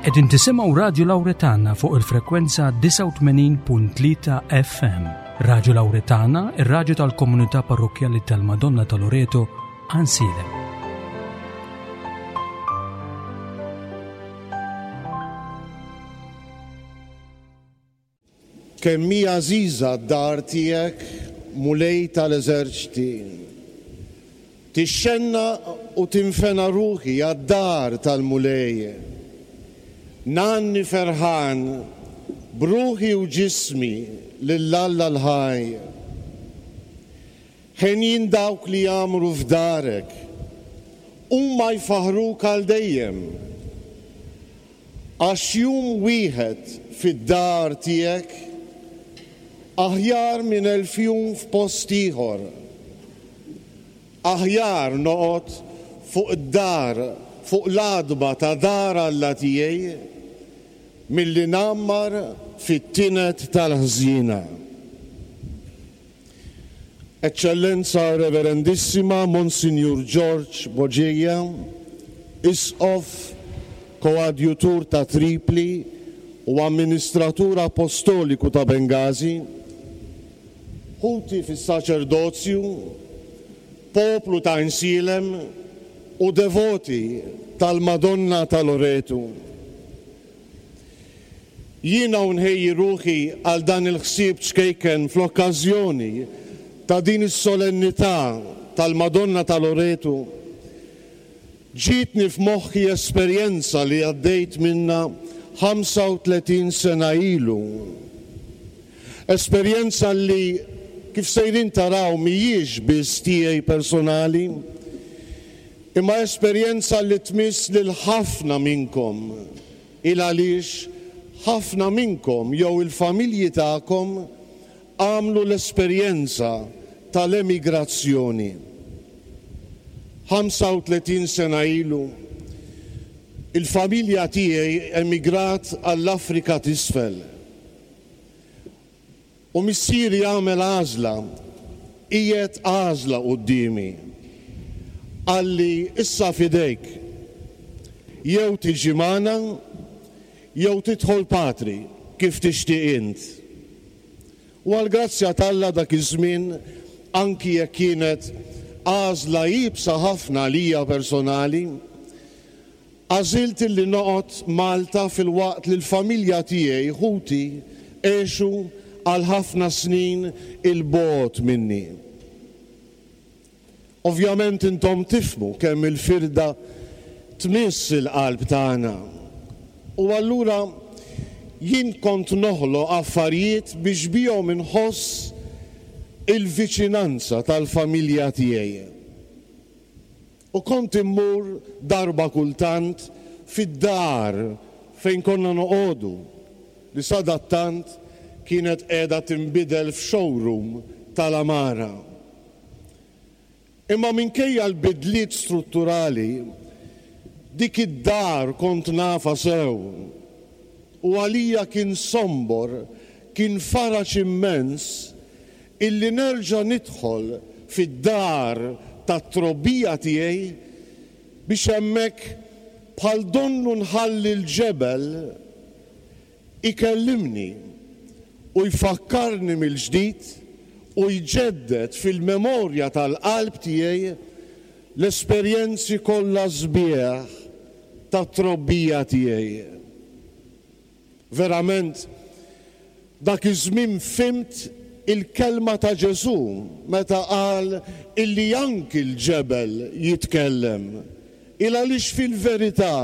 Qegħdin tisimgħu Radju Lawretana fuq il-frekwenza 89.3 FM. Radju Lawretana, ir-radju tal-komunità parrokkjali tal-Madonna ta' Loreto, Għansielem. Kemm hi għażiża d-dar tiegħek, Mulej tal-eżerċti! Tixxennaq u tinfena ruħi għad-dar tal-Mulej. Ngħanni ferħan b'ruħi u ġismi lil Alla l-ħaj. Henjin dawk li jgħammru f'darek, huma jfaħħruk għal dejjem. Għax jum wieħed fid-dar tiegħek aħjar minn elf jum f'post ieħor. Aħjar noqgħod fuq id-dar, fuq l-għatba ta' dar Alla tiegħi, milli ngħammar fit-tined tal-ħżiena. Eċċellenza Reverendissima Monsinjur Ġorġ Boġeja, Isqof, Koadjutur ta' Tripli u Amministratur Apostoliku ta' Bengażi, Ħuti fis-Saċerdozju, Poplu ta' Għinsielem u devoti tal-Madonna ta' Loretu. Jiena u nħejji ruħi għal dan il-ħsieb ċkejken fl-okkażjoni ta' din is-solennità tal-Madonna ta' Loretu, ġietni f'moħħi esperjenza li għaddejt minnha 35 sena ilu. Esperjenza li, kif sejrin taraw, mhijiex biss tiegħi personali, imma esperjenza li tmiss lil ħafna minnkom. Il għaliex ħafna minnkom jew il-familji tagħkom għamlu l-esperjenza tal-emigrazzjoni. 35 sena ilu, il-familja tiegħi emigrat għall-Afrika t'Isfel. U missieri għamel għażla, qiegħed għażla quddiemi. Qalli, issa f'idejk. Jew tiġi magħna, jew tidħol patri, kif tixtieq int. U għall-grazzja t'Alla dak iż-żmien, anki jekk kienet għażla iebsa ħafna għalija personali, Għażilt illi noqgħod Malta filwaqt li l-familja tiegħi, ħuti, għexu għal ħafna snin 'il bogħod minni. Ovvjament intom tifhmu kemm il-firda tmiss il-qalb tagħna. U allura jien kont noħloq affarijiet biex bihom inħoss il-viċinanza tal-familja tiegħi. U kont immur darba kultant fid-dar fejn konna noqogħdu, li sadattant kienet qiegħda tinbidel f'showroom tal-għamara. Imma minkejja l-bidliet strutturali, dik id-dar kont nafha sew. U għalija kien sombor, kien faraġ immens Illi nerġa' nidħol fid-dar tat-trobbija tiegħi biex hemmhekk bħal donnu nħalli l-ġebel ikellimni u jfakkarni mill-ġdid u jġedded fil-memorja tal-qalb tiegħi l-esperjenzi kollha sbieħ tat-trobbija tiegħi. Verament, dak iż-żmien fhimt il-kelma ta' Ġesù meta qal illi anki l-ġebel jitkellem. Il għaliex fil-verità,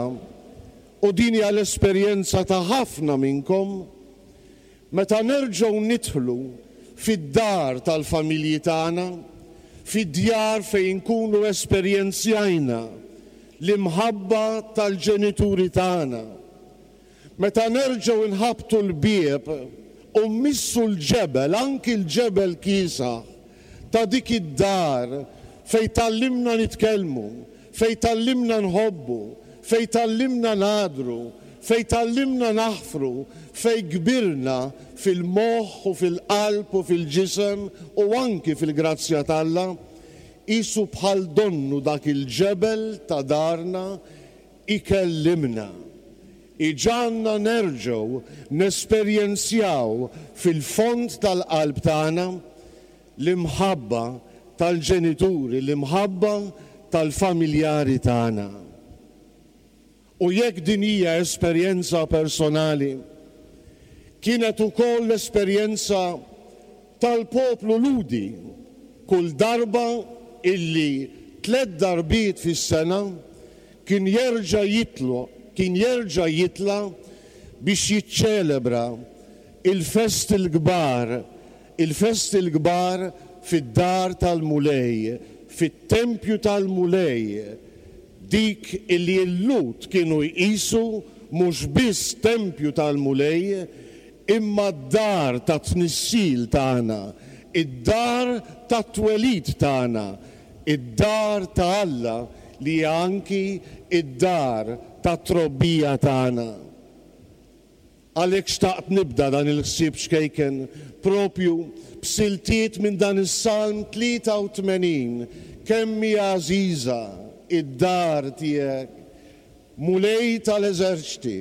u din hija l-esperjenza ta' ħafna minnkom, meta nerġgħu nidħlu fid-dar tal-familji tagħna, fid-djar fejn inkunu esperjenzjajna l-imħabba tal-ġenituri tagħna, Meta nerġgħu nħabbtu l-bieb u mmissu l-ġebel, anki l-ġebel kiesaħ, ta' dik id-dar fejn tgħallimna nitkellmu, fejn tgħallimna nħobbu, fejn tgħallimna nagħdru, fejn tgħallimna naħfru, fejn kbirna fil-moħħ u fil-qalb u fil-ġisem u anki fil-grazzja t'Alla, qisu bħal donnu dak il-ġebel ta' darna Ikellimna. Iġagħalna nerġgħu nesperjenzjaw fil-fond tal-qalb tagħna l-imħabba tal-ġenituri, l-imħabba tal-familjari tagħna. U jekk din hija esperjenza personali, kienet ukoll l-esperjenza tal-poplu Lhudi kull darba illi tlett darbiet fis-sena kien jerġa' jitlu kien jerġa' jitla' biex jiċċelebra l-festi l-kbar il-festi l-kbar fid-dar tal-Mulej, fit-tempju tal-Mulej, dik illi l-Lhud kienu jqisu mhux biss tempju tal-Mulej, imma d-dar tat-tnissil tagħna, id-dar tat-twelid tagħna, id-dar ta' Alla li hija anki d-dar tat-trobbija tagħna. Għalhekk xtaqt nibda dan il-ħsieb ċkejken proprju b'siltiet minn dan is-Salm 83, Kemm hi għażiża d-dar tiegħek, Mulej tal-eżerċti!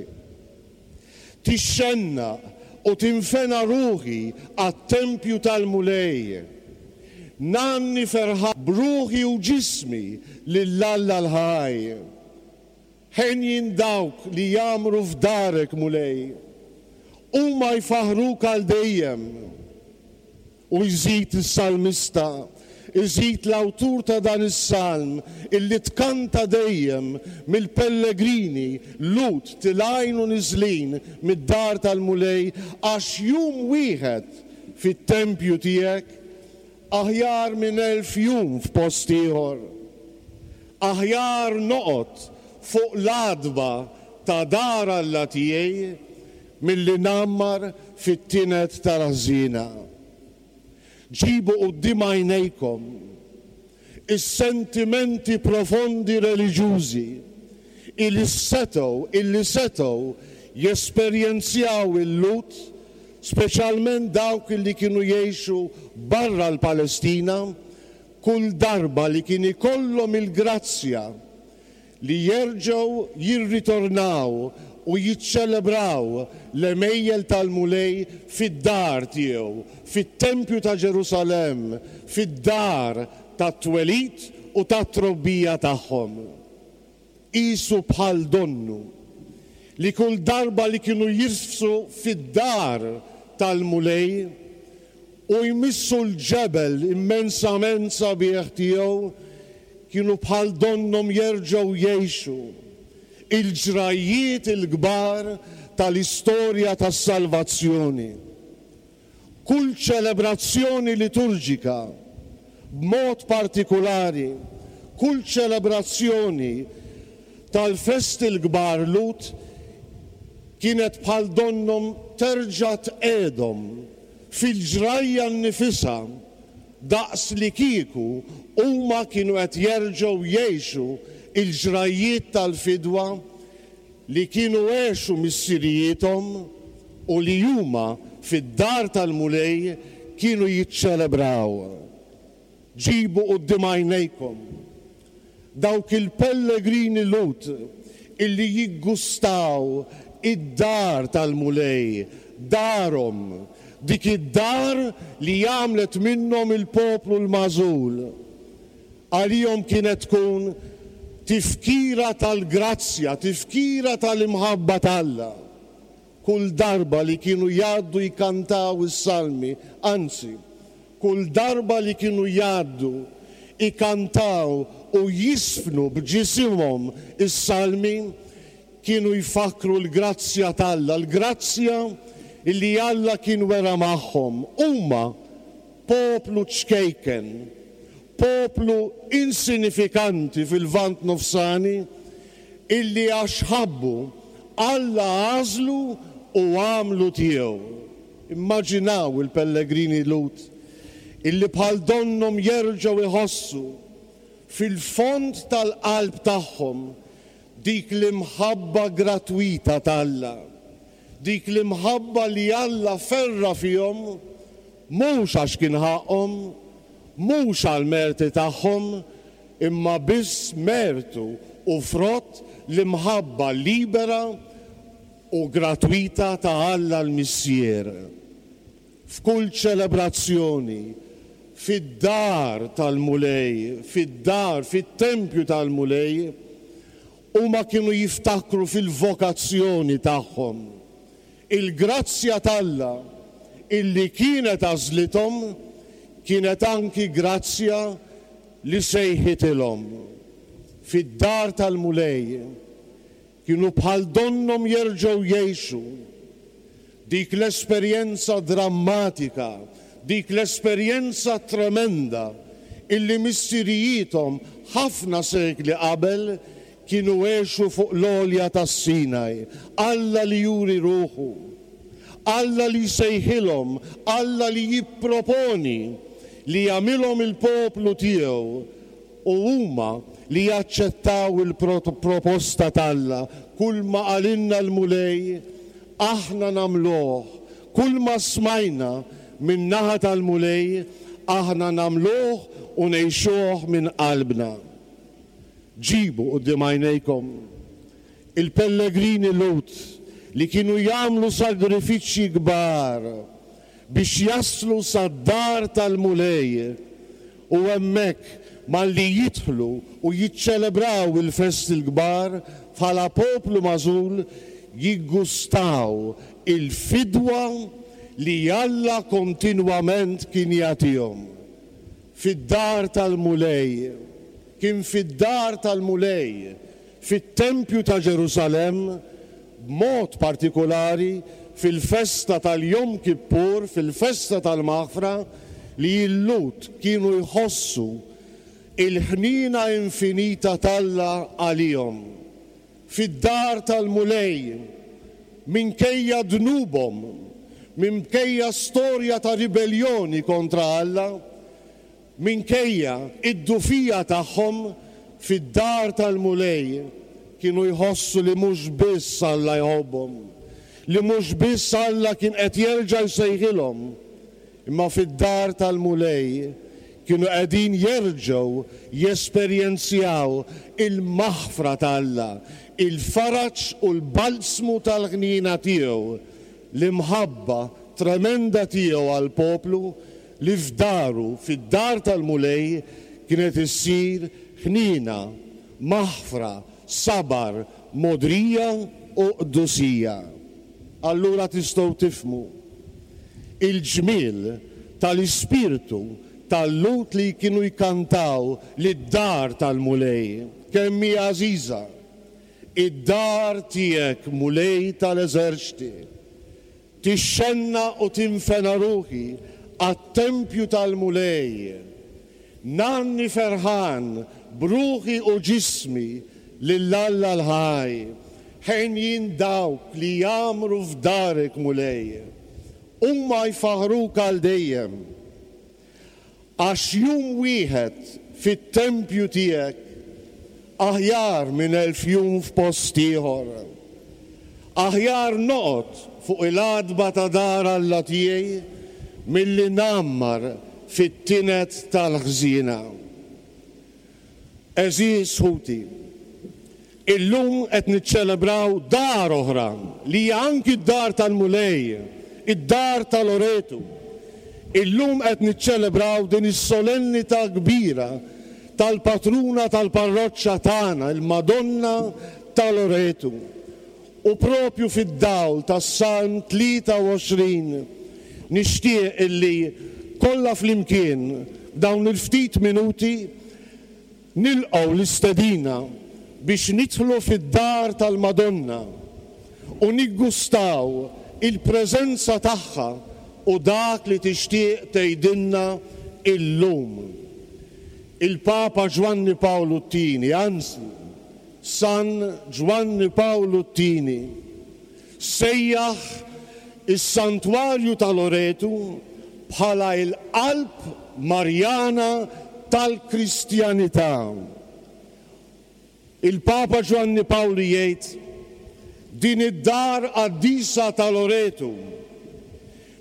Tixxennaq u tinfena ruħi għat-tempju tal-Mulej. Ngħanni ferħan b'ruħi u ġismi lil Alla l-ħaj. Henjin dawk li jgħammru f'darek, Mulej. Huma jfaħħruk għal dejjem. U jżid is-salmista, iżid l-awtur ta' dan is-salm illi tkanta dejjem mill-pellegrini Lhud tilgħin u niżlin mid-dar tal-Mulej għax jum wieħed fit-tempju tiegħek Aħjar minn 1000 jum f'post ieħor. Aħjar noqgħod fuq l-għatba ta' dar Alla tiegħi milli ngħammar fit-tined tal-ħżiena. Ġibu quddiem għajnejkom is-sentimenti profondi reliġjużi ili setgħu illi setgħu jesperjenzjaw il-Lhud, speċjalment dawk illi kienu jgħixu barra l-Palestina, kull darba li kien ikollhom il-grazzja li jerġgħu jirritornaw u jiċċelebraw l-għemejjel tal-Mulej fid-dar tiegħu, fit-tempju ta' Ġerusalemm, fid-dar tat-twelid u tat-trobbija tagħhom. Qisu bħal donnu li kull darba li kienu jirfsu fid-dar tal-Mulej u jmissu l-ġebel immensament sabiħ tiegħu, kienu bħal donnhom jerġgħu jgħixu il-ġrajjiet il-kbar tal-istorja tas-salvazzjoni. Kull ċelebrazzjoni liturġika, b'mod partikulari kull ċelebrazzjoni tal-festi l-kbar Lhud, kienet bħal donnhom terġa' tqiegħdhom fil-ġrajja nnifisha daqs li kieku huma kienu qed jerġgħu jgħixu l-ġrajjiet tal-fidwa li kienu għexu missirijiethom u li huma fid-dar tal-Mulej kienu jiċċelebraw. Ġibu quddiem għajnejkom dawk il-pellegrini Lhud illi jiggustaw id-dar tal-Mulej, darhom, dik id-dar li għamlet minnhom il-poplu l-magħżul. Għalihom kienet tkun tifkira tal-grazzja, tifkira tal-imħabba t'Alla. Kull darba li kienu jgħaddu jkantaw is-salmi, anzi, kull darba li kienu jgħaddu jkantaw u jiżfnu b'ġisimhom is-salmi, kienu jfakkru l-grazzja t'Alla, l-grazzja li Alla kien wera magħhom. Huma poplu ċkejken, poplu insinifikanti fil-Lvant Nofsani, illi għax ħabbu, Alla għażlu u għamlu tiegħu. Immaġinaw il-pellegrini Lhud illi bħal donnhom jerġgħu jħossu fil-fond tal-qalb tagħhom dik l-imħabba gratwita t'Alla, dik l-imħabba li Alla ferra' fihom mhux għax kien ħaqqhom, mhux għall-merti tagħhom, imma biss mertu u frott l-imħabba libera. u gratwita ta' Alla l-Missier. F'kull ċelebrazzjoni, fid-dar tal-Mulej, fid-dar, fit-tempju tal-Mulej, huma kienu jiftakru fil-vokazzjoni tagħhom. Il-grazzja t'Alla illi kienet għażlithom kienet anki grazzja li sejħitilhom. Fid-dar tal-Mulej kienu bħal donnhom jerġgħu jgħixu dik l-esperjenza drammatika, dik l-esperjenza tremenda illi missirijiethom ħafna sekli qabel kienu għexu fuq l-għolja tas-Sinaj. Alla li juri ruħu, Alla li jsejħilhom, Alla li jipproponi li jagħmilhom il-poplu tiegħu u huma li jaċċettaw il-proposta t'Alla, kulma qalilna l-Mulej, aħna nagħmluh, kulma smajna min-naħa tal-Mulej, aħna nagħmluh u ngħixuh minn qalbna. Ġibu quddiem għajnejkom il-pellegrini Lhud li kienu jagħmlu sagrifiċċji kbar biex jaslu sad-dar tal-Mulej u hemmhekk malli jidħlu u jiċċelebraw il-festi l-kbar bħala poplu magħżul jiggustaw il-fidwa li Alla kontinwament kien jagħtihom. Fid-dar tal-Mulej, kien fid-dar tal-Mulej, fit-tempju ta' Ġerusalemm, b'mod partikulari fil-festa tal-Yom Kippur, fil-festa tal-Maħfra, li l-Lhud kienu jħossu l-ħniena infinita t'Alla għalihom. Fid-dar tal-Mulej, minkejja dnubhom, minkejja storja ta' ribelljoni kontra Alla, minkejja d-dgħufija tagħhom, fid-dar tal-Mulej kienu jħossu li mhux biss Alla jħobbhom, li mhux biss Alla kien qed jerġa' jsejħilhom, Imma fid-dar tal-Mulej kienu qegħdin jerġgħu jesperjenzjaw il-maħfra ta' Alla, il-faraġ u l-balzmu tal-ħniena tiegħu, l-imħabba tremenda tiegħu għall-poplu li f'daru, fid-dar tal-Mulej, kienet issir ħniena, maħfra, sabar, mogħdrija u qdusija. Allura tistgħu tifhmu il-ġmiel tal-ispirtu tal-Lhud li kienu jkantaw lid-dar tal-Mulej, Kemm hi għażiża id-dar tiegħek, Mulej tal-eżerċti! Tixxennaq u tinfena ruħi għat-tempju tal-Mulej. Ngħanni ferħan b'ruħi u ġismi lil Alla l-ħaj. Henjin dawk li jgħammru f'darek, Mulej. Huma jfaħħruk għal dejjem. Għax jum wieħed fit-tempju tiegħek aħjar minn 1000 jum f'post ieħor. Aħjar noqgħod fuq il-għatba ta' dar Alla tiegħi milli ngħammar fit-tined tal-ħżiena. Għeżież ħuti, illum qed niċċelebraw dar oħra li hija anki d-dar tal-Mulej, id-dar ta' Loretu. Illum qed niċċelebraw din is-solennità kbira tal-patruna tal-parroċċa tagħna, il-Madonna ta' Loretu. U propju fid-dawl tas-Salm 23 nixtieq illi kollha flimkien f'dawn il-ftit minuti nilqgħu l-istedina biex nidħlu fid-dar tal-Madonna u niggustaw il-preżenza tagħha u dak li tixtieq tgħidilna illum. Il-Papa Ġwanni Pawlu t-Tieni, anzi, San Ġwanni Pawlu t-Tieni sejjaħ is-Santwarju ta' Loretu bħala l-qalb Marjana tal-Kristjanità. Il-Papa Ġwanni Pawlu jgħid, Din id-dar qaddisa ta' Loretu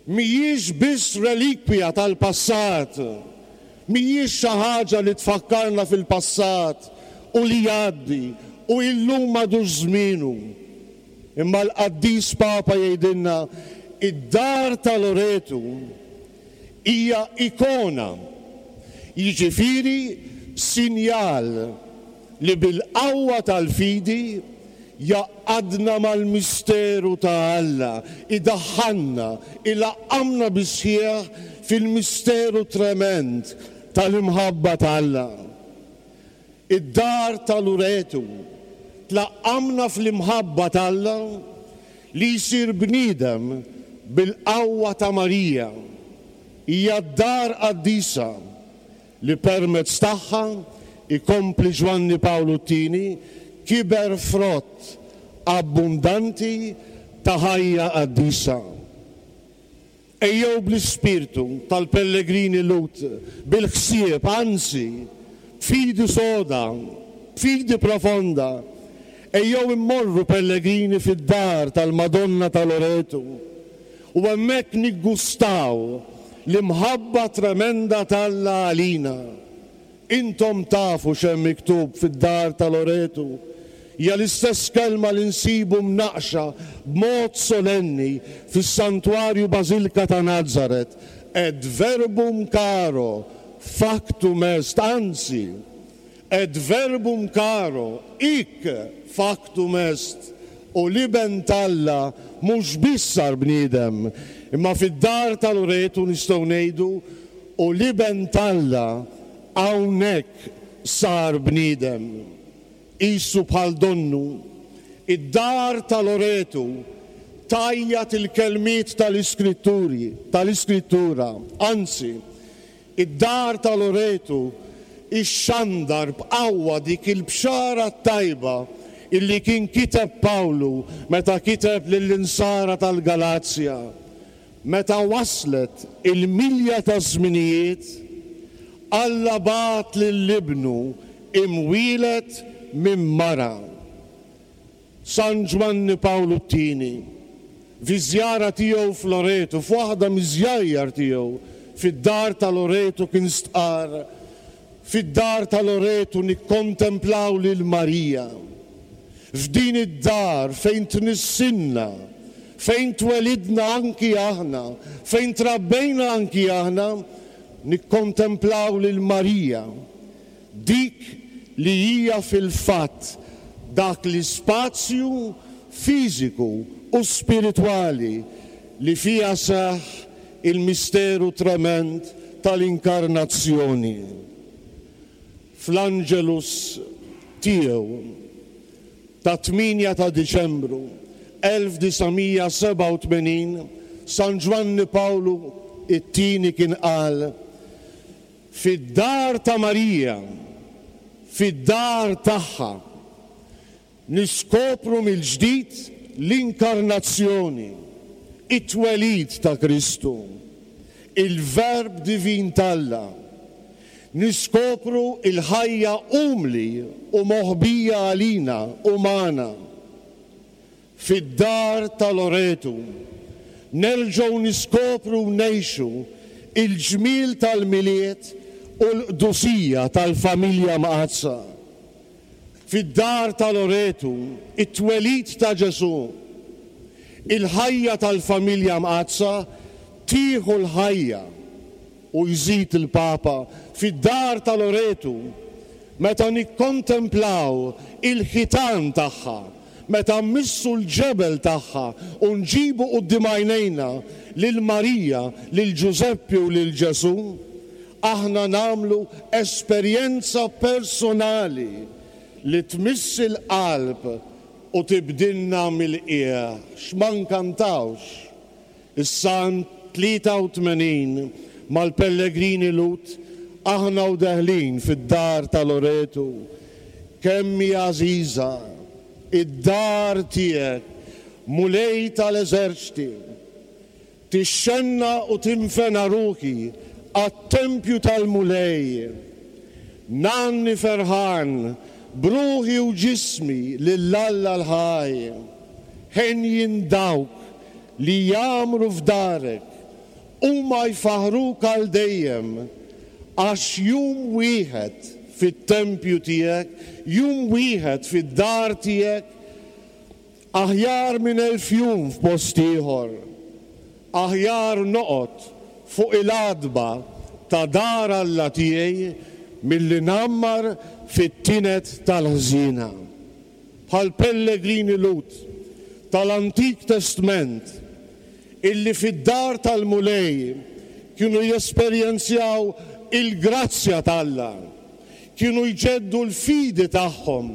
mhijiex biss relikwija tal-passat, Mhijiex xi ħaġa li tfakkarna fil-passat u li jgħaddi u illum m'għadux żmienu. Imma l-Qaddis Papa jgħidilna, id-dar ta' Loretu hija ikona, jiġifieri sinjal li bil-qawwa tal-fidi jgħaqqadna mal-misteru ta' Alla, idaħħalna, ilaqqamna bis-sħiħ fil-misteru tremend tal-imħabba ta' Alla. Id-dar ta' Luretu tlaqqamna fl-imħabba t'Alla li jsir bniedem bil-qawwa ta' Marija. Hija d-dar qaddisa li permezz tagħha, ikompli Ġwanni Pawlu t-Tieni, kiber frott abbundanti ta' ħajja qaddisa. Ejjew bl-ispirtu tal-pellegrini Lhud, bil-ħsieb, anzi, b'fidi soda, b'fidi profonda, ejjew immorru pellegrini fid-dar tal-Madonna ta' Loretu u hemmhekk niggustaw l-imħabba tremenda t'Alla għalina. Intom tafu x'hemm miktub fid-dar ta' Loretu. Hija l-istess kelma li nsibu mnaqqxa b'mod solenni fis-Santwarju Bażilka ta' Nazaret, Et verbum caro factum est, anzi, Et verbum caro hic factum est, u l-Iben t'Alla mhux biss sar bniedem, imma fid-dar ta' Loretu nistgħu ngħidu U l-Iben t'Alla hawnhekk sar bniedem. Qisu bħal donnu, id-dar ta' Loretu tgħajjat il-kelmiet tal-Iskritturi, tal-Iskrittura, anzi, id-dar ta' Loretu ixxandar b'qawwa dik il-bxara t-tajba illi kien kiteb Pawlu meta kiteb lill-Insara tal-Galazja. Meta waslet il-milja taż-żminijiet, Alla bagħat lil Ibnu imwieled minn mara. San Ġwanni Pawlu t-Tieni, fiż-żjara tiegħu f'Loreto, f'waħda miż-żjajjar tiegħu fid-dar ta' Loreto kien stqarr, Fid-dar ta' Loreto nikkontemplaw lil Marija. F'din id-dar fejn tnissilna, fejn twelidna anki aħna, fejn trabbejna anki aħna, nikkontemplaw lil Marija, dik li hija fil-fatt dak l-ispazju fiżiku u spiritwali li fiha seħħ il-misteru tremend tal-Inkarnazzjoni. Fl-Angelus tiegħu tat-tmienja ta' Diċembru 1987, San Ġwanni Pawlu t-Tieni kien qal, Fid-dar ta' Marija, fid-dar tagħha, Niskopru mill-ġdid l-Inkarnazzjoni, it-twelid ta' Kristu, il-Verb divin t'Alla. Niskopru l-ħajja umli u moħbija għalina umana. Fid-dar ta' Loretu, nerġgħu niskopru u ngħixu l-ġmiel tal-Milied u l-qdusija tal-Familja Mqaddsa. Fid-dar ta' Loretu, it-twelid ta' Ġesù, il-ħajja tal-Familja Mqaddsa tieħu l-ħajja, u jżid il-Papa, fid-dar ta' Loretu, meta nikkontemplaw il-ħitan tagħha, meta mmissu l-ġebel tagħha u nġibu quddiem għajnejna lil Marija, lil Ġużeppi u lil Ġesù, aħna nagħmlu esperjenza personali li tmiss il-qalb u tibdilna mill-qiegħ. X'ma nkantawx is-Salm 83 mal-pellegrini Lhud aħna u deħlin fid-dar ta' Loretu, Kemm hi għażiża id-dar tiegħek, Mulej tal-eżerċti! Tixxennaq u tinfena ruħi għat-tempju tal-Mulej. Ngħanni ferħan b'ruħi u ġismi lil Alla l-ħaj. Henjin dawk li jgħammru f'darek, huma jfaħħruk għal dejjem, għax jum wieħed fit-tempju tiegħek, jum wieħed fid-dar tiegħek. Aħjar minn elf jum f'post ieħor. Aħjar noqgħod fuq il-għatba ta' dar Alla tiegħi milli ngħammar fit-tined tal-ħżiena. Bħall-pellegrini Lhud tal-Antik Testment illi fid-dar tal-Mulej kienu jesperjenzjaw il-grazzja t'Alla, kienu jġeddu l-fidi tagħhom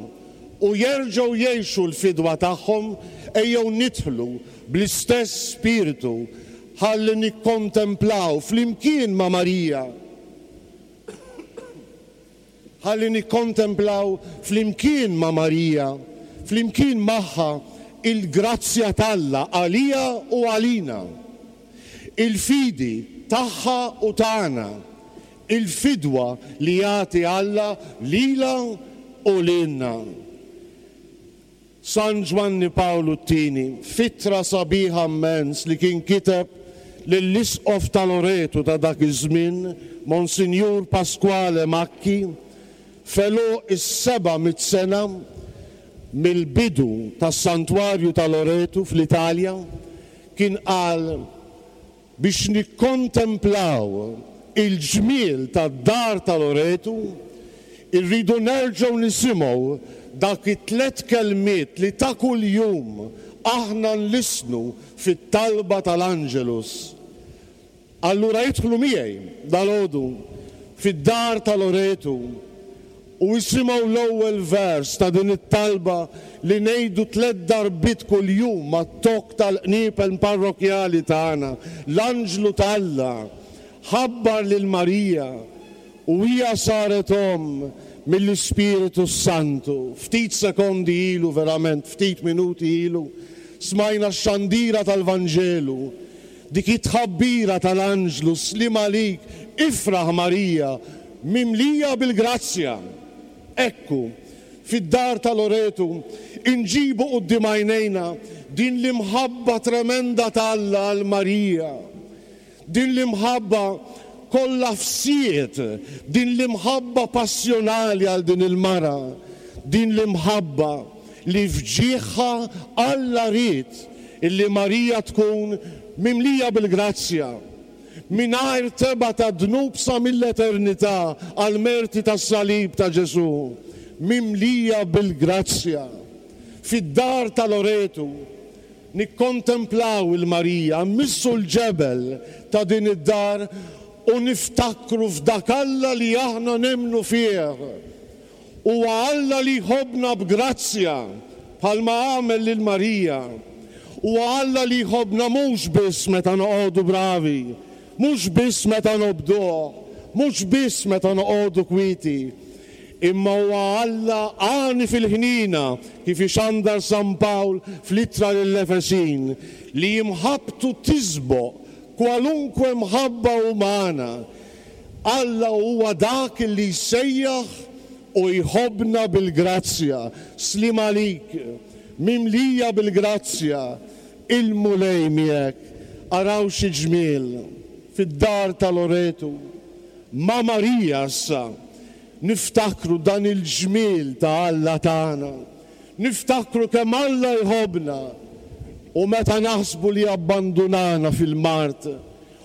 u jerġgħu jgħixu l-fidwa tagħhom, ejjew nidħlu bl-istess spirtu ħalli nikkontemplaw flimkien ma' Marija, ħalli nikkontemplaw flimkien ma' Marija, flimkien magħha, il-grazzja t'Alla għaliha u għalina, il-fidi tagħha u tagħna, il-fidwa li jagħti Alla lilha u lilna. San Ġwanni Pawlu t-Tieni, f'ittra sabiħa mmens li kien kiteb lill-Isqof ta' Loreto ta' dak iż-żmien, Monsinjur Pasquale Macchi, f'għeluq is-700 sena mill-bidu tas-Santwarju ta' Loreto fl-Italja, kien qal, Biex nikkontemplaw il-ġmiel tad-dar ta' Loretu, irridu nerġgħu nisimgħu dak it-tlett kelmiet li ta' kuljum aħna nlissnu fit-talba tal-Angelus. Allura idħlu miegħi dalgħodu fid-dar ta' Loretu u isimgħu l-ewwel vers ta' din it-talba li ngħidu tlett darbiet kuljum mat-tokk tal-qniepen parrokkjali tagħna, L-anġlu t'Alla ħabbar lil Marija u hija saret omm mill-Ispiritu s-Santu. Ftit sekondi ilu, verament ftit minuti ilu, smajna x-xandira tal-Vanġelu Dik it-tħabbira tal-anġlu, Sliem għalik, ifraħ Marija, mimlija bil-grazzja. Ekku, fid-dar ta' Loretu, inġibu quddiem għajnejna din l-imħabba tremenda ta' Alla għal Marija. Din l-imħabba kollha fsied, din l-imħabba passjonali għal din il-mara, din l-imħabba li f'ġieħha Alla ried illi Marija tkun mimlija bil-grazzja, mingħajr tebgħa ta' dnub sa mill-eternità għall-merti tas-salib ta' Ġesù, mimlija bil-grazzja. Fid-dar ta' Loretu nikkontemplaw 'il Marija, mmissu l-ġebel ta' din id-dar u niftakru f'dak Alla li aħna nemmnu fih. Huwa Alla li jħobbna b'grazzja, bħalma għamel lil Marija. Huwa Alla li jħobbna mhux biss meta noqogħdu bravi, mhux biss meta nobduh, mhux biss meta noqogħdu kwieti, imma huwa Alla għani fil-ħniena, kif ixandar San Pawl fl-Ittra lill-Efesin, li imħabbtu tisboq kwalunkwe mħabba umana. Alla huwa dak li jsejjaħ u jħobbna bil-grazzja. Sliem għalik, mimlija bil-grazzja, il-Mulej miegħek. Araw xi ġmiel fid-dar ta' Loretu. Ma' Marija issa niftakru dan il-ġmiel ta' Alla tagħna. Niftakru kemm Alla jħobbna u meta naħsbu li abbandunana fil-mard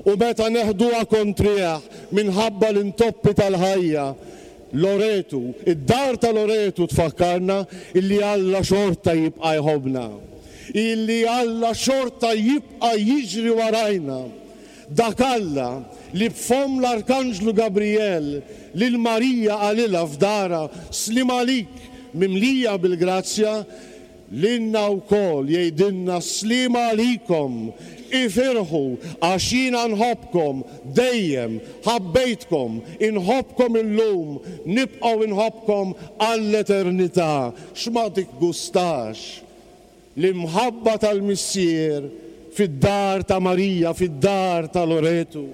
U meta neħduha kontrih minħabba l-intoppi tal-ħajja, Loretu, id-dar ta' Loretu tfakkarna illi Alla xorta jibqa' jħobbna. Illi Alla xorta jibqa' jiġri warajna. Dak Alla li b'fomm l-Arkanġlu Gabrijel lil Marija qalilha f'darha, Sliem għalik, mimlija bil-grazzja, Lilna wkoll jgħidilna sliem għalikom, ifirħu għax jiena nħobbkom, dejjem ħabbejtkom, inħobbkom illum, nibqgħu inħobbkom għall-eternità. X'ma tiggustax l-imħabba tal-Missier fid-dar ta' Marija, fid-dar ta' Loretu?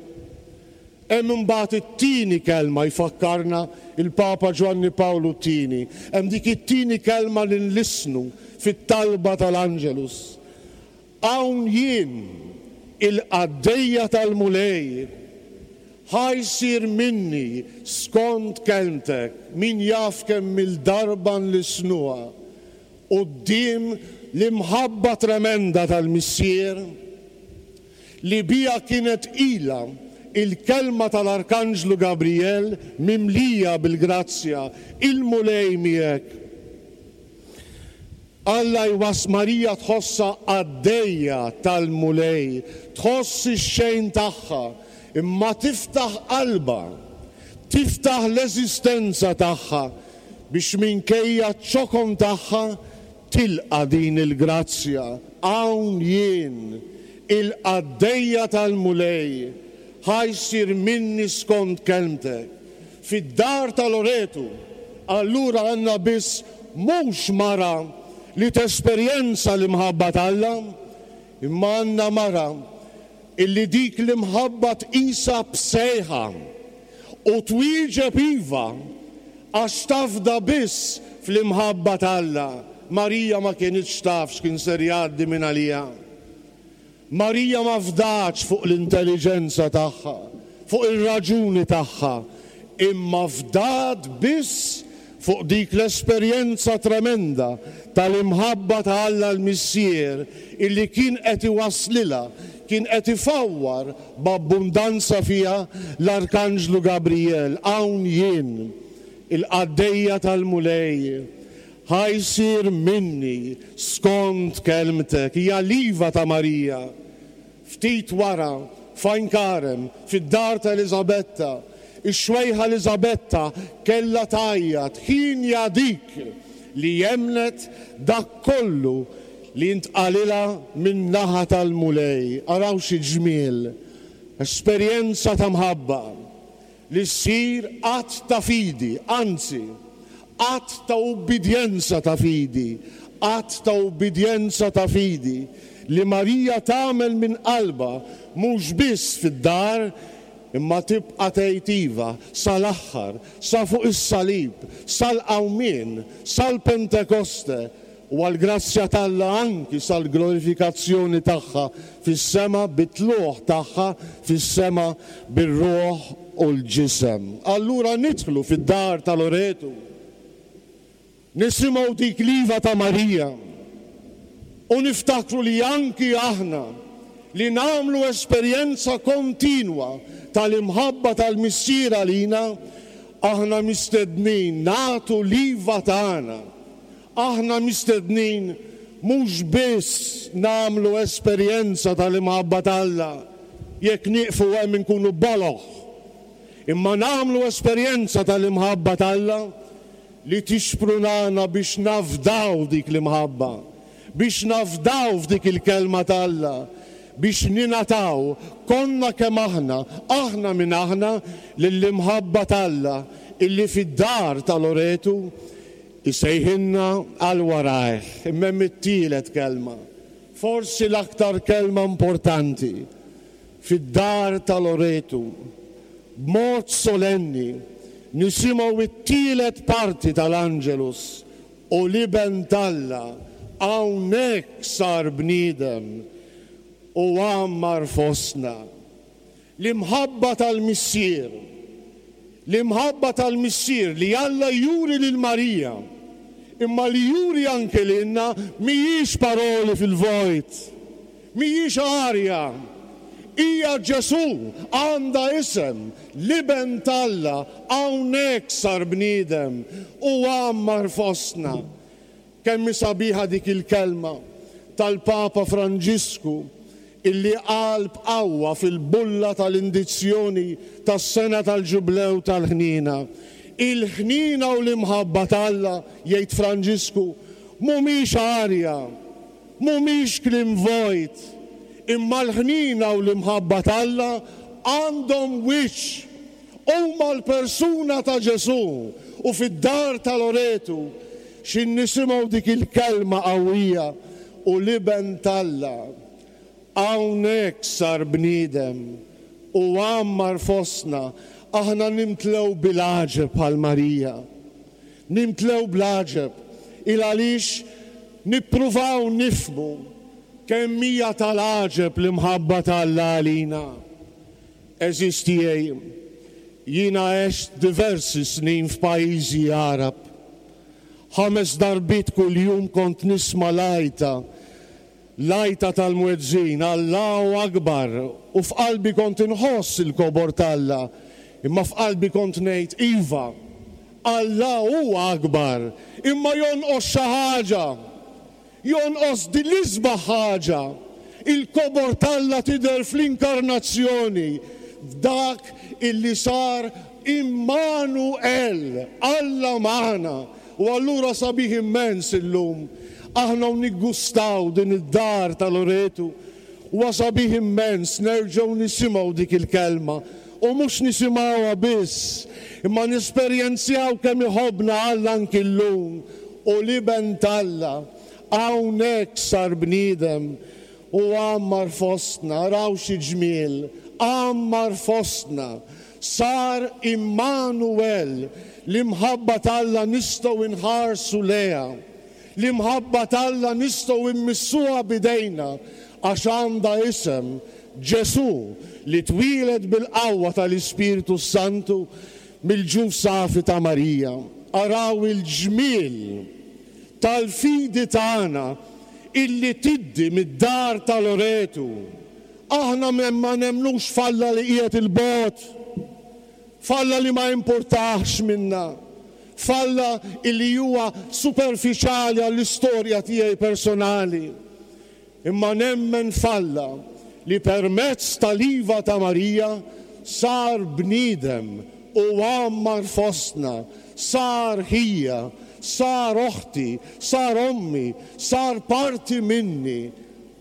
Hemm imbagħad it-tieni kelma jfakkarna l-Papa Ġwanni Pawlu t-Tieni. Hemm dik it-tieni kelma li nlissnu fit-talba tal-Angelus. Hawn jien, il-qaddejja tal-Mulej, ħa jsir minni skont kelmtek. Min jaf kemm-il darba nlissnuha. quddiem l-imħabba tremenda tal-Missier li biha kienet tqila il-kelma tal-Arkanġlu Gabrijel mimlija bil-grazzja, Il-Mulej miegħek. Alla jwass Marija tħossha qaddejja tal-Mulej, tħoss ix-xejn tagħha, imma tiftaħ qalbha, tiftaħ l-eżistenza tagħha biex minkejja ċ-ċokon tagħha tilqa' din il-grazzja, Hawn jien, il-qaddejja tal-Mulej, ħa jsir minni skont kelmtek. Fid-dar ta' Loretu, allura għandna biss mhux mara li tesperjenza l-imħabba t'Alla, imma għandna mara illi dik l-imħabba tqisha b'sejħa u twieġeb iva għax tafda biss fl-imħabba t'Alla. Marija ma kinitx taf x'kien ser jgħaddi minn għaliha. Marija ma fdatx fuq l-intelliġenza tagħha, fuq ir-raġuni tagħha, imma fdat biss fuq dik l-esperjenza tremenda tal-imħabba ta' Alla l-Missier illi kien qed iwasslilha, kien qed ifawwar b'abbundanza fiha l-Arkanġlu Gabrijel, Hawn jien, il-qaddejja tal-Mulej, Ħa jsir minni skont kelmtek, hija l-iva ta' Marija. Ftit wara, f'Għajn Karem, fid-dar ta' Eliżabetta, ix-xwejħa Eliżabetta kellha tgħajjat, Hienja dik li emmnet dak kollu li ntqalilha min-naħa tal-Mulej. Araw xi ġmiel! Esperjenza ta' mħabba! li ssir att ta' fidi, anzi, att ta' ubbidjenza ta' fidi, att ta' ubbidjenza ta' fidi li Marija tagħmel minn qalbha mhux biss fid-dar imma tibqa' tgħid iva sal-aħħar, sa fuq is-salib, sal-qawmien, sal-Pentekoste, u għall-grazzja t'Alla anki sal-glorifikazzjoni tagħha fis-sema bit-tlugħ tagħha fis-sema bir-ruħ u l-ġisem. Allura nidħlu fid-dar ta' Loretu, nisimgħu dik l-iva ta' Marija u niftakru li anki aħna li nagħmlu esperjenza kontinwa tal-imħabba tal-Missier għalina, aħna mistednin nagħtu l-iva tagħna. Aħna mistednin mhux biss nagħmlu esperjenza tal-imħabba t'Alla, jekk nieqfu hemm inkunu boloh, imma nagħmlu esperjenza tal-imħabba t'Alla li tixprunana biex nafdaw dik l-imħabba, biex nafdaw f'dik il-Kelma t'Alla, biex ningħataw, konna kemm aħna, aħna min aħna, lill-imħabba t'Alla illi fid-dar ta' Loretu Isejħilna għal warajh. Imma hemm it-tielet kelma, forsi l-aktar kelma importanti, fid-dar ta' Loretu, b'mod solenni nisimgħu t-tielet parti tal-Angelus, U l-Iben t'Alla hawnhekk sar bniedem u għammar fostna. L-imħabba tal-Missier. L-imħabba tal-Missier li Alla juri lil Marija, imma li juri anke lilna mhijiex paroli fil-vojt, mhijiex arja. Hija Ġesù, għandha isem, l-Iben t'Alla hawnhekk sar bniedem u għammar fostna. Kemm hi sabiħa dik il-kelma tal-Papa Franġisku illi qal b'qawwa fil-bulla tal-indizzjoni tas-sena tal-Ġublew tal-Ħniena. Il-ħniena u l-imħabba t'Alla, jgħid Franġisku, mhumiex arja, mhumiex kliem vojt, imma l-ħniena u l-imħabba t'Alla għandhom wiċċ. Huma l-persuna ta' Ġesù u fid-dar ta' Loretu x'in nisimgħu dik il-kelma qawwija u l-Iben t'Alla hawnhekk sar bniedem u għammar fostna, aħna nimtlew bil-għaġeb bħal Marija. Nimtlew bl-għaġeb il għaliex nippruvaw nifhmu kemm hija tal-għaġeb l-imħabba t'Alla għalina. Għeżież tiegħi, jiena għext diversi snin f'pajjiżi Għarab. Ħames darbiet kuljum kont nisma' l-għajta, l-għajta tal-muezzin, Allahu Akbar, u f'qalbi kont inħoss il-kobor t'Alla, imma f'qalbi kont ngħid, Iva, Alla huwa akbar, imma jonqos xi ħaġa. Jonqos din l-isbaħ ħaġa. Il-kobor t'Alla tidher fl-inkarnazzjoni, f'dak illi sar Immanu-El, Alla magħna. U allura sabiħ immens illum, aħna u niggustaw din id-dar ta' Loretu, huwa sabiħ immens nerġgħu nisimgħu dik il-kelma, u mhux nisimgħuha biss, imma nesperjenzjaw kemm iħobbna Alla anki llum, u l-Iben t'Alla hawnhekk sar bniedem u għammar fostna, araw xi ġmiel, għammar fostna, sar Immanuel, l-imħabba t'Alla nistgħu nħarsu lejha, l-imħabba t'Alla nistgħu mmissuha b'idejna għax għandha isem, Ġesù, li twieled bil-qawwa tal-Ispirtu s-Santu mill-ġuf safi ta' Marija. Araw il-ġmiel tal-fidi tagħna illi tiddi mid-dar ta' Loretu. Aħna ma nemmnux f'Alla li qiegħed 'il bogħod, f'Alla li ma jimpurtahx minna, f'Alla illi huwa superfiċjali għall-istorja tiegħi personali. Imma nemmen f'Alla li permezz tal-iva ta' Marija sar bniedem u għammar fostna, sar ħija, sar oħti, sar ommi, sar parti minni.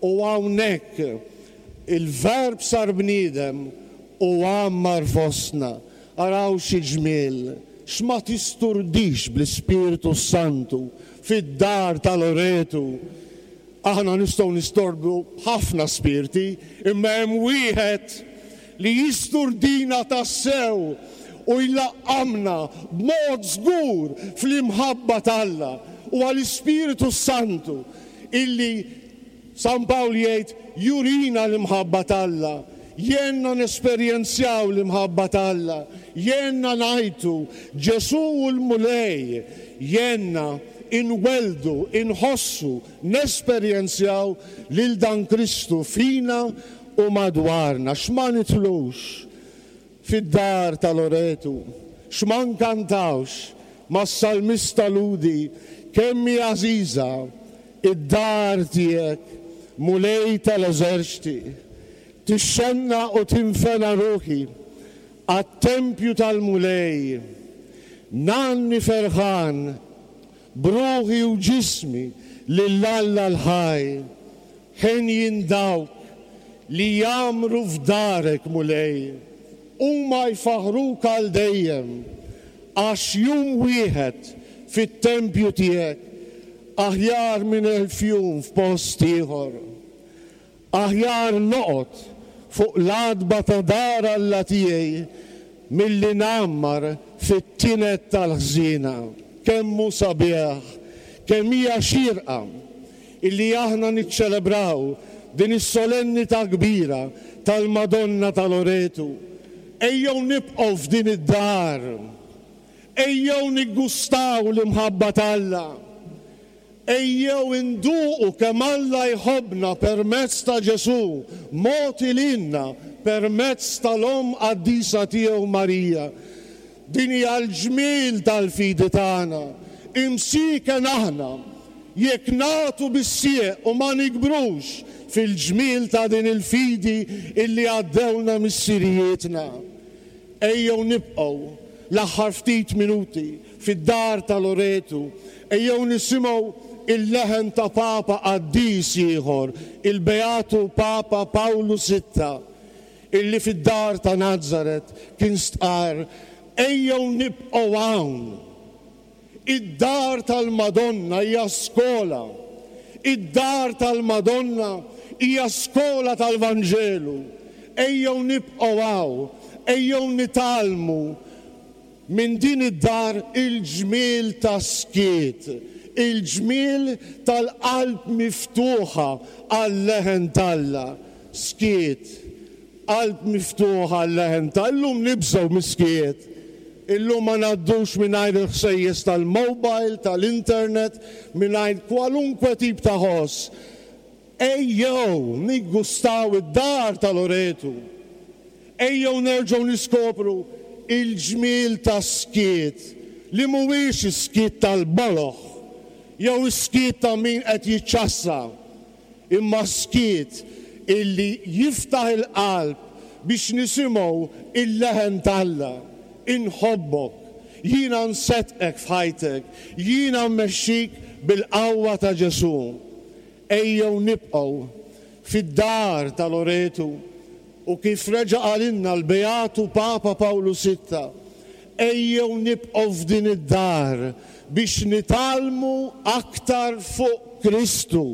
U hawnhekk il-Verb sar bniedem u għammar fostna. Araw xi ġmiel! X'ma tisturdix bl-Ispirtu s-Santu fid-dar ta' Loretu! Aħna nistgħu nistordu b'ħafna spirti, imma hemm wieħed li jisturdina tassew u jlaqqamna b'mod żgur fl-imħabba t'Alla. Huwa l-Ispirtu s-Santu illi, San Pawl jgħid, jurina l-imħabba t'Alla, jgħinna nesperjenzjaw l-imħabba t'Alla, jgħinna ngħajtu, Ġesù hu l-Mulej, jgħinna inwelldu, inħossu, nesperjenzjaw lil dan Kristu fina u madwarna. X'ma nidħlux fid-dar ta' Loretu, x'ma nkantawx mas-salmista Lhudi, Kemm hi għażiża d-dar tiegħek, Mulej tal-eżerċti! Tixxennaq u tinfena ruħi għat-tempju tal-Mulej. Ngħanni ferħan B'ruħi u ġismi lil Alla l-ħaj. Henjin dawk li jgħammru f'darek, Mulej, huma jfaħħruk għal dejjem, għax jum wieħed fit-tempju tiegħek aħjar minn elf jum f'post ieħor. Aħjar noqgħod fuq l-għatba ta' dar Alla tiegħi milli ngħammar fit-tined tal-ħżiena. Kemm hu sabiħ, kemm hija xierqa illi aħna niċċelebraw din is-solennità kbira tal-Madonna ta' Loretu. Ejjew nibqgħu f'din id-dar. Ejjew niggustaw l-imħabba t'Alla. Ejjew induqu kemm Alla jħobbna permezz ta' Ġesù, mogħti lilna permezz tal-Omm qaddisa tiegħu Marija. Din hija l-ġmiel tal-fidi tagħna. Imsieken aħna jekk nagħtu bis-sieq u ma nikbrux fil-ġmiel ta' din il-fidi illi għaddewlna missirijietna. Ejjew nibqgħu l-aħħar ftit minuti fid-dar ta' Loretu, ejjew nisimgħu il-leħen ta' Papa qaddis ieħor, il-Beatu Papa Pawlu Sitta, illi fid-dar ta' Nazaret kien stqarr, Ejjew nibqgħu hawn. Id-dar tal-Madonna hija skola. Id-dar tal-Madonna hija skola tal-Vanġelu. Ejjew nibqgħu hawn, ejjew nitgħallmu minn din id-dar il-ġmiel tas-skiet, il-ġmiel tal-qalb miftuħa għal-leħen t'Alla. Skiet, qalb miftuħa għal-leħen ta' Illum nibżgħu mis-skiet. Illum ma ngħaddux mingħajr il-ħsejjes tal-mobile, tal-internet, mingħajr kwalunkwe tip ta' ħoss. Ejjew niggustaw id-dar ta' Loretu. Ejjew nerġgħu niskopru il-ġmiel tas-skiet li mhuwiex is-skiet tal-boloh jew is-skiet ta' min qed jiċċassa, imma skiet illi jiftaħ il-qalb biex nisimgħu il-leħen t'Alla, Inħobbok, jiena nseddqek f'ħajtek, jiena mmexxik bil-qawwa ta' Ġesù. Ejjew nibqgħu fid-dar ta' Loretu u kif reġa' qalilna l-Beatu Papa Pawlu Sitta, ejjew nibqgħu f'din id-dar biex nitgħallmu aktar fuq Kristu.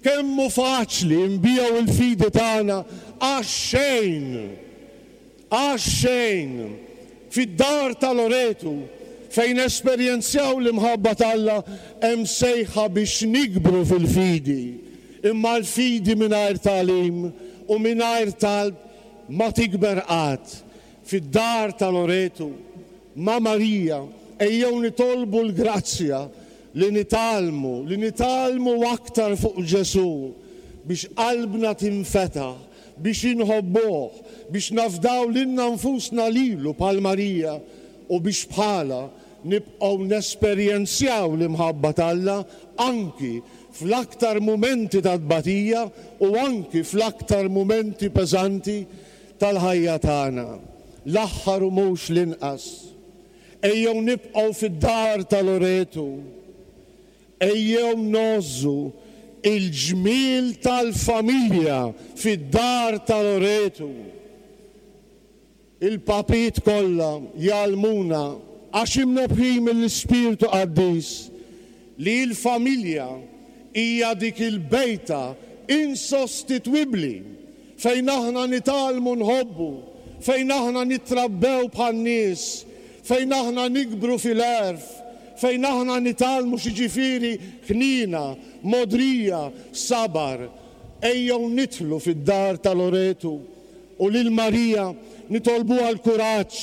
Kemm hu faċli nbigħu l-fidi tagħna għax-xejn! Għax-xejn! Fid-dar ta' Loretu, fejn nesperjenzjaw l-imħabba t'Alla, hemm sejħa biex nikbru fil-fidi. Imma l-fidi mingħajr tagħlim u mingħajr talb ma tikber qatt. Fid-dar ta' Loretu, ma' Marija, ejjew nitolbu l-grazzja li nitgħallmu, li nitgħallmu aktar fuq Ġesù biex qalbna tinfetaħ, biex inħobbuh, biex nafdaw lilna nfusna lilu bħal Marija u biex bħalha nibqgħu nesperjenzjaw l-imħabba t'Alla anki fl-aktar mumenti ta' tbatija u anki fl-aktar mumenti peżanti tal-ħajja tagħna. L-aħħar u mhux l-inqas, ejjew nibqgħu fid-dar ta' Loretu. Ejjew ngħożżu l-ġmiel tal-familja fid-dar ta' Loretu. Il-papiet kollha jgħallmuna, għax imnebbħin mill-Ispirtu Qaddis, li l-familja hija dik il-bejta insostitwibbli fejn aħna nitgħallmu nħobbu, fejn aħna nittrabbew bħan-nies, fejn aħna nikbru fil-għerf, fejn aħna nitgħallmu x'jiġifieri ħniena, mogħdrija, sabar. Ejjew nidħlu fid-dar ta' Loretu u lil Marija nitolbuha l-kuraġġ,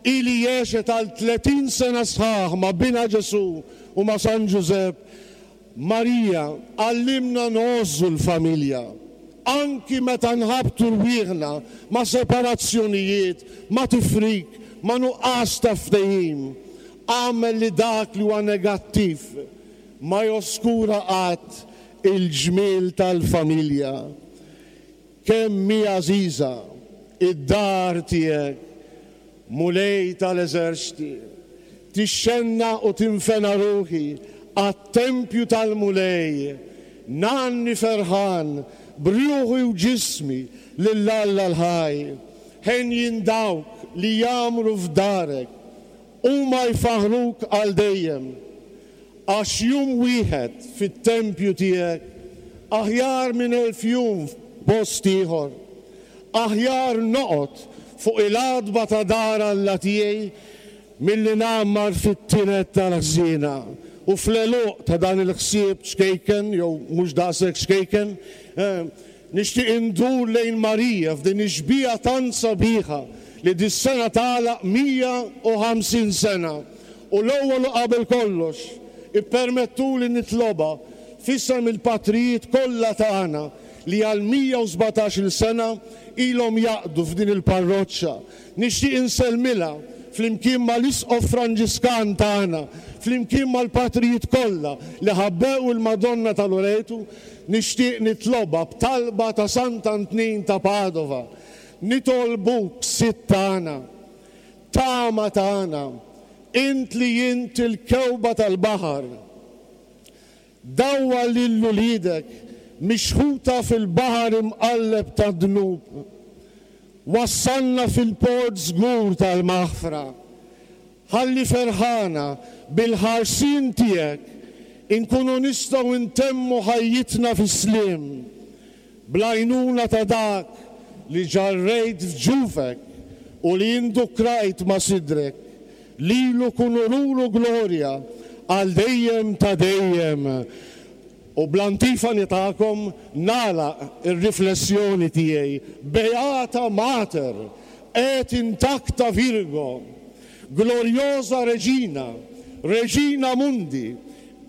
hi li għexet għal 30 sena sħaħ ma' binha Ġesù u ma' San Ġużepp, Marija, għallimna ngħożżu l-familja, anki meta nħabbtu rwieħna ma' separazzjonijiet, ma' tifrik, ma' nuqqas ta' ftehim. Agħmel li dak li huwa negattiv ma joskura qatt il-ġmiel tal-familja. Kemm hi għażiża d-dar tiegħek, Mulej tal-eżerċti! Tixxennaq u tinfena ruħi għat-tempju tal-Mulej, ngħanni ferħan b'ruħi u ġismi lil Alla l-ħaj. Henjin dawk li jgħammru f'darek, huma jfaħħruk għal dejjem. Għax jum wieħed fit-tempju tiegħek aħjar minn elf jum f'post ieħor. Aħjar noqgħod fuq il-għatba ta' dar Alla tiegħi milli ngħammar fit-tined tal-ħżiena. U fl-għeluq ta' dan il-ħsieb ċkejken, jew mhux daqshekk ċkejken, Nixtieq indur lejn Marija f'din ix-xbieha tant sabiħa li dis-sena tagħlaq 150 sena u l-ewwel u qabel kollox ippermettuli nitlobha f'isem il-patrijiet kollha tagħna li għal 117-il sena ilhom jaqdu f'din il-parroċċa. Nixtieq insellmilha flimkien mal-Isqof Franġiskan tagħna, flimkien mal-patrijiet kollha li ħabbew il-Madonna ta' Loretu, Nixtieq nitlobha b'talba ta' Sant'Antnin ta' Padova, Nitolbuk, Sid tagħna, tama tagħna, int li int il-kewba tal-baħar, dawwar lil uliedek mixħuta fil-baħar imqalleb tad-dnub, wassalna fil-port żgur tal-maħfra. Ħalli ferħana bil-ħarsien tiegħek inkunu nistgħu ntemmu ħajjitna fis-sliem, bl-għajnuna ta' dak li ġarrejt f'ġufek u li indukrajt ma' sidrek. Lilu kun unur u glorja għal dejjem ta' dejjem. U bl-antifani tagħkom nagħlaq ir-riflessjoni tiegħi, Beata Mater et intacta Virgo. Gloriosa Regina, Regina Mundi,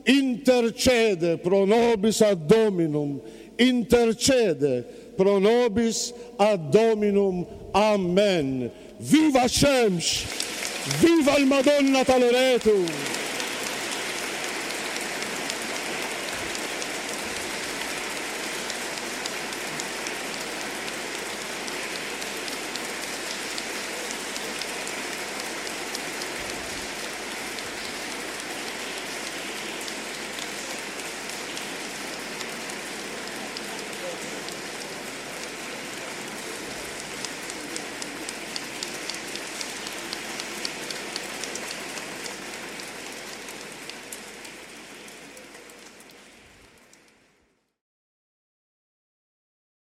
intercede pro nobis ad Dominum, intercede pro nobis ad Dominum. Amen. Viva x-xemx! Viva l-Madonna ta' Loretu!